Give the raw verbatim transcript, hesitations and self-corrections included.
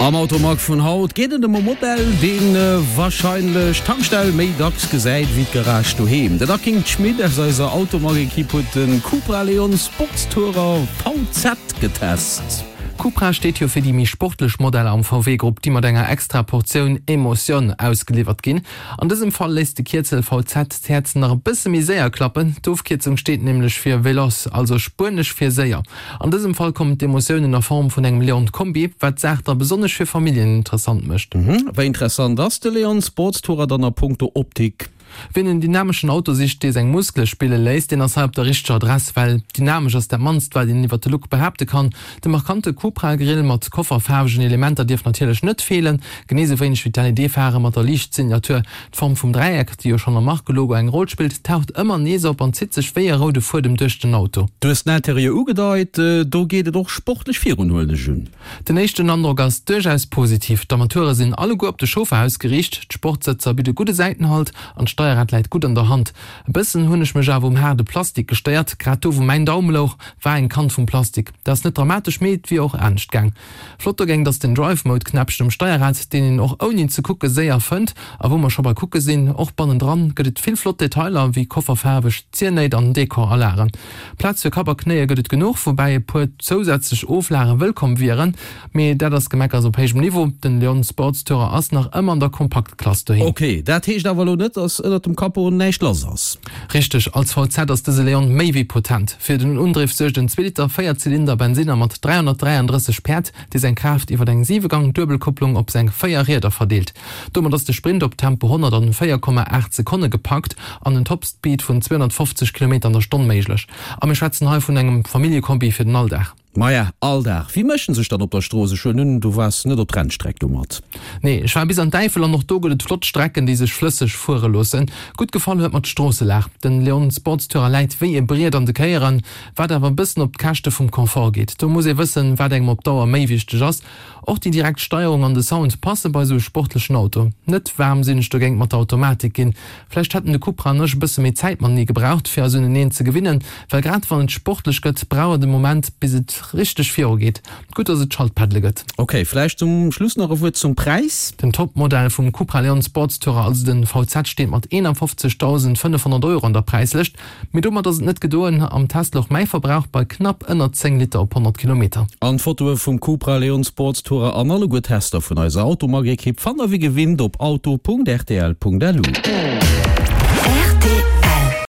Am Automag vun haut geet et ëm e Modell, dee warscheinlech d'Tankstell méi dacks gesäit wéi d'Garage doheem. Den Aking Schmit aus eiser Automag-Ekipp huet de Cupra Leon Sportstourer V Z getest. Cupra steet jo fir déi méi sportlech Modeller am V W-Grupp, déi mat enger extra Portioun Emotioun ausgeliwwert ginn. An dësem Fall léisst de Kierzel V Z d'Häerz nach e bësse méi séier klappen. D'Ofkierzung steet nämlech fir Veloz, also spuenesch fir séier. An dësem Fall kommen d'Emotiounen a Form vun engem Leon Kombi, wat d'Saach da besonnesch fir Familljen interessant mécht. Wéi interessant ass de Leon Sportstourer dann a punkto Optik? Wien en dynameschen Auto sicht, dee seng Muskele spille léisst, deen ass hei op der richteger Adress, well dynamesch ass dat mannst, wat een iwwer de Look behaapte kann. De markante Cupra-Grill mat kofferfaarwegen Elementer dierf natierlech net feelen, genee sou wéineg wéi d'L E D-Phare mat der Liichtsignatur. D'Form vum Dräieck, déi jo schonn am Markelogo eng Roll spillt, taucht ëmmer nees op an zitt sech wéi e roude Fuedem duerch den Auto. Du hues den Interieur ugedeit, do geet et och sportlech virun, huelen ech un. Den éischten Androck ass duerchaus positiv. D'Armature sinn alleguer op de Chauffer ausgeriicht, d'Sportsëtzer bidde gudde Säitenhalt an d'Steierrad läit gutt an der Hand. E bëssen hunn ech mech awer um haarde Plastik gestéiert, grad do wou mäin Daum louch, war eng Kant vum Plastik. Dat ass net dramatesch, mee et wier och anescht gaang. Flott dogéint ass den Drive Mode Knäppchen um Steierrad, deen een och ouni ze kucke séier fënnt. A wou mer scho bei kucke sinn, och bannendran gëtt et vill flott Detailer wéi kofferfaarweg Ziernéit an Dekoralage. Plaz fir Kapp a Knéie gëtt et genuch, woubäi e puer zousätzlech Oflage wëllkomm wieren. Mee dat ass Gemeckers op héijem Niveau, den Leon Sportstourer ass nach ëmmer an der Kompaktklass doheem. Ok, dat heescht awer elo net, dass ënnert dem Capot näischt lass ass? Richteg, als V Z ass dëse Leon méi wéi potent. Fir den Undriff suergt en zwee Liter Véierzylinder Bensinner mat dräihonnertdräiandrësseg Päerd, dee seng Kraaft iwwer eng Siwegang-Duebelkupplung op seng véier Rieder verdeelt. Domat ass de Sprint op Tempo honnert an véier Komma aacht Sekonne gepackt an en Topspeed vun zweehonnertfofzeg Kilometer an der Stonn méiglech. A mir schwätzen hei vun engem Familljekombi fir den Alldag. Maja, Alldag. Wéi mécht en sech dann op der Strooss? Ech huelen un, du waars net op d'Rennstreck domat. Nee, ech war bis an d'Äifel an och do gëtt et flott Strecken, déi sech flësseg fuere loossen. Gutt gefall huet mer d'Stroosselag. Den Leon Sportstourer läit wéi e Briet an de Kéieren, wat awer e bëssen op d'Käschte vum Confort geet. Do muss ee wëssen, wat engem op Dauer méi wichteg ass. Och déi direkt Steierung an de Sound passe bei esou e sportlechen Auto. Net waarm sinn ech dogéint mat der Automatik ginn. Vläicht hätten de Cupra an ech e bësse méi Zäit matenee gebraucht, fir eis uneneen ze gewinnen, well grad wann et sportlech gëtt, brauch et e Moment, bis et richteg viru geet. Gutt, dass et Schaltpaddele gëtt. Ok, vläicht zum Schluss nach e Wuert zum Präis? Den Topmodell vum Cupra Leon Sportstourer, also den V Z, steet mat eenafofzegdausendfënnefhonnert Euro an der Präislëscht. Mee domat ass et net gedoen, am Test louch mäi Verbrauch bei knapp ënner zéng Liter op honnert Kilometer. An d'Fotoe vum Cupra Leon Sportstourer an alleguer Tester vun eiser Automag-Ekipp fannt der wéi gewinnt op auto Punkt R T L Punkt L U.